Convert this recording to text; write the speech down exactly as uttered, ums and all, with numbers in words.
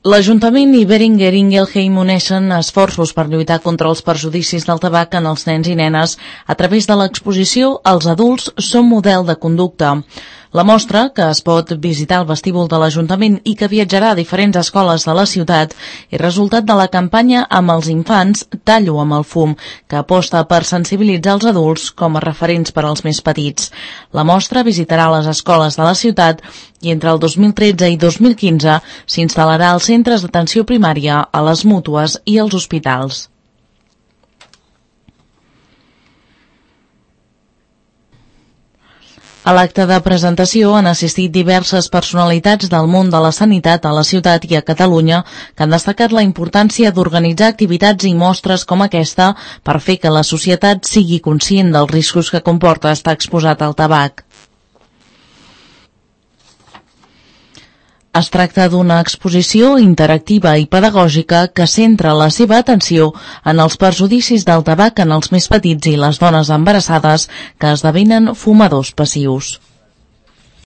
L'Ajuntament i Beringer Ingelheim uneixen esforços per lluitar contra els perjudicis del tabac en els nens i nenes a través de l'exposició Els adults són model de conducta. La mostra, que es pot visitar al vestíbul de l'Ajuntament i que viatjarà a diferents escoles de la ciutat, és resultat de la campanya Amb els infants, tallo amb el fum, que aposta per sensibilitzar els adults com a referents per als més petits. La mostra visitarà les escoles de la ciutat i entre el dos mil tretze i dos mil quinze s'instal·larà als centres d'atenció primària, a les mútues i als hospitals. A l'acte de presentació han assistit diverses personalitats del món de la sanitat a la ciutat i a Catalunya que han destacat la importància d'organitzar activitats i mostres com aquesta per fer que la societat sigui conscient dels riscos que comporta estar exposat al tabac. Es tracta d'una exposició interactiva i pedagògica que centra la seva atenció en els perjudicis del tabac en els més petits i les dones embarassades que esdevenen fumadors passius.